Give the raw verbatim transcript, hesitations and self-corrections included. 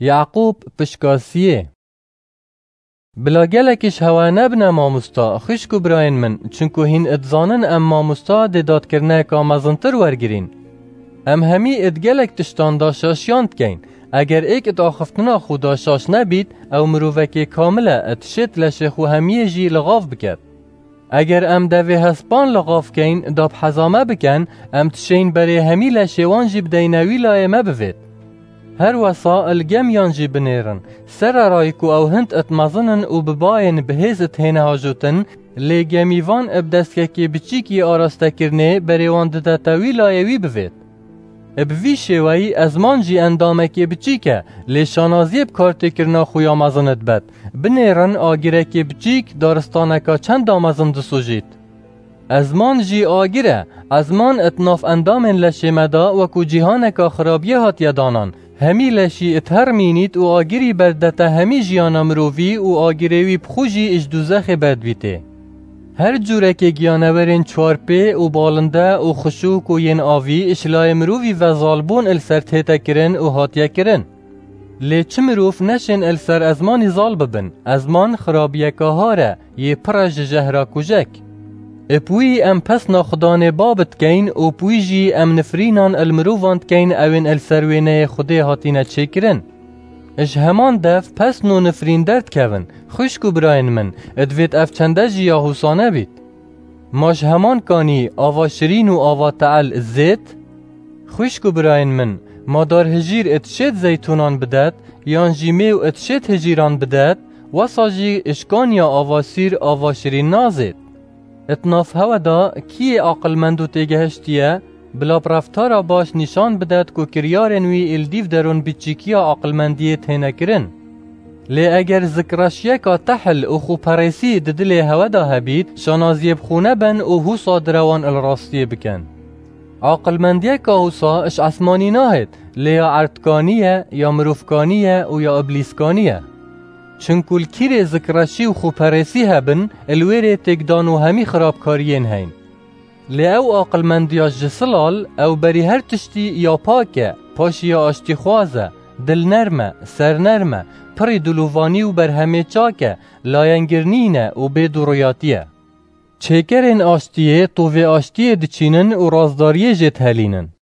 Yaqûb pişka siyê. Bila gelek ji hewe nebine mamosta, xwişk û birayên min, çinku hîn dizanin em mamosta dê dadkirineka mezintir wergirîn. Em hemî id gelek tiştan daşaşiyan dikeyn. Eger êk id axiftina xwe daşaş nebît, ew mirovekê kamil e, id şêt leşê xwe hemiyê jî li xav biket. Eger em devê hespan li xav keyn, da bi heza me biken, em dişeyn berê hemî leşê wan jî bideyne wî layê me bivêt. Her wesa il gemiyan jî binêrin. Sererayî ku ew hind it mezin in û bi bayên bihêz it hêne hajotin, lê gemîvan ib destgekê biçîkî arastekirinê berê wan didete wî layê wî bivêt. Bi vî şêweyî ezman jî endamekê biçîk e, lê şanaziyê bi kartêkirina xwe ya mezin dibet. Binêrin agirekê biçîk, daristaneka çenda mezin disojît. Ezman jî agir e. Ezman it nav endamên leşê me de wekû cîhaneka xirabiyê hatiye danan. Hemî leşî it her mînît û agirî berdete hemî jiyana mirovî û agirê wî bi xwe jî ji dûzexê berdibîtê. Her cûrekê giyanewerên çarpê û balinde û xişûk û yên avî ji layê mirovî ve zalbûn il ser tête kirin û hatiye kirin. Lê çi mirov neşên il ser ezmanî zal bibin. Ezman xirabiyeka har e, yê pir e ji jehra kujek. Ib wî em pesna Xudanê Bab dikeyn û bi wî jî em nifrînan il mirovan dikeyn ewên il ser wêneyê Xwedê hatîne çêkirin. Ji heman dev pesn û nifrîn derdikevin. Xwişk û birayên min, divêt ev çende jî ya hûsa nebît. Ma ji heman kanî ava şirîn û ava te'el zêt? Xwişk û birayên min, ma dar hijîr it şêt zeytûnan bidet, yan jî mêw it şêt hijîran bidet, wesa jî ji kaniya ava sîr ava şirîn nazêt. It nav hewe de kî yê aqilmend û têgehiştî ye, bila bi reftara baş nîşan bidet ku kiryarên wî êl dîv derûn biçîkiya aqilmendiyê têne kirin. Lê eger zikreşiyeka tehil û xweperêsî di dilê hewe de hebît, şanaziyê bi xwe nebin û hûsa direwan il rastiyê bikin. Aqilmendiyeka wisa ji esmanî nahêt, lê ya erdkanî ye, ya mirovkanî ye û ya iblîskanî ye. Çinku li kîrê zikreşî û xweperêsî hebin, li wêrê têkdan û hemî xirabkariyên heyn. Lê ew aqilmendiya ji silal, ew berî her tiştî ya pak e, paşî ya aştîxwaz e, dilnerm e, sernerm e, pirî dilovanî û berhemê çak e, layengir nîne û bê dûriyatî ye. Çêkerên aştiyê tovê aştiyê diçînin û razdariyê jê dihelînin.